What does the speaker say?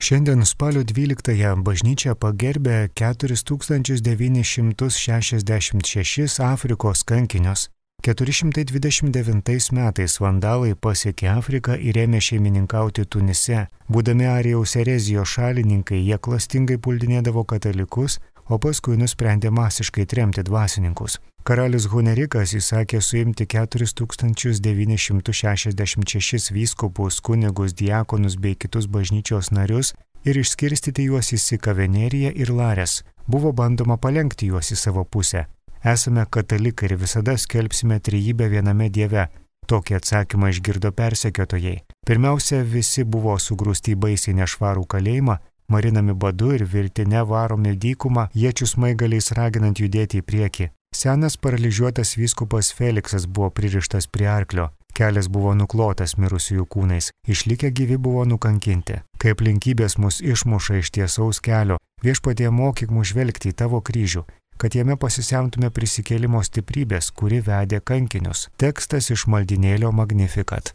Šiandien spalio 12-ąją bažnyčia pagerbė 4966 Afrikos kankinius. 429 metais vandalai pasiekė Afriką ir ėmė šeimininkauti Tunise. Būdami Arijaus erezijos šalininkai, jie klastingai puldinėdavo katalikus, o paskui nusprendė masiškai tremti dvasininkus. Karalius Hunerikas įsakė suimti 4966 vyskupus, kunigus, diakonus bei kitus bažnyčios narius ir išskirstyti juos į Sikaveneriją ir Lares. Buvo bandoma palenkti juos į savo pusę. Esame katalikai ir visada skelbsime trejybę viename Dieve. Tokį atsakymą išgirdo persekiotojai. Pirmiausia, visi buvo sugrūsti į baisiai nešvarų kalėjimą, marinami badu ir virtine varomi dykumą, iečių smaigaliais raginant judėti į priekį. Senas paralyžiuotas vyskupas Feliksas buvo pririštas prie arklio. Kelias buvo nuklotas mirusiųjų kūnais. Išlikę gyvi buvo nukankinti. Kai aplinkybės mus išmuša iš tiesaus kelio, Viešpatie mokyk mus žvelgti į tavo kryžių, kad jame pasisemtume prisikėlimo stiprybės, kuri vedė kankinius. Tekstas iš maldynėlio Magnificat.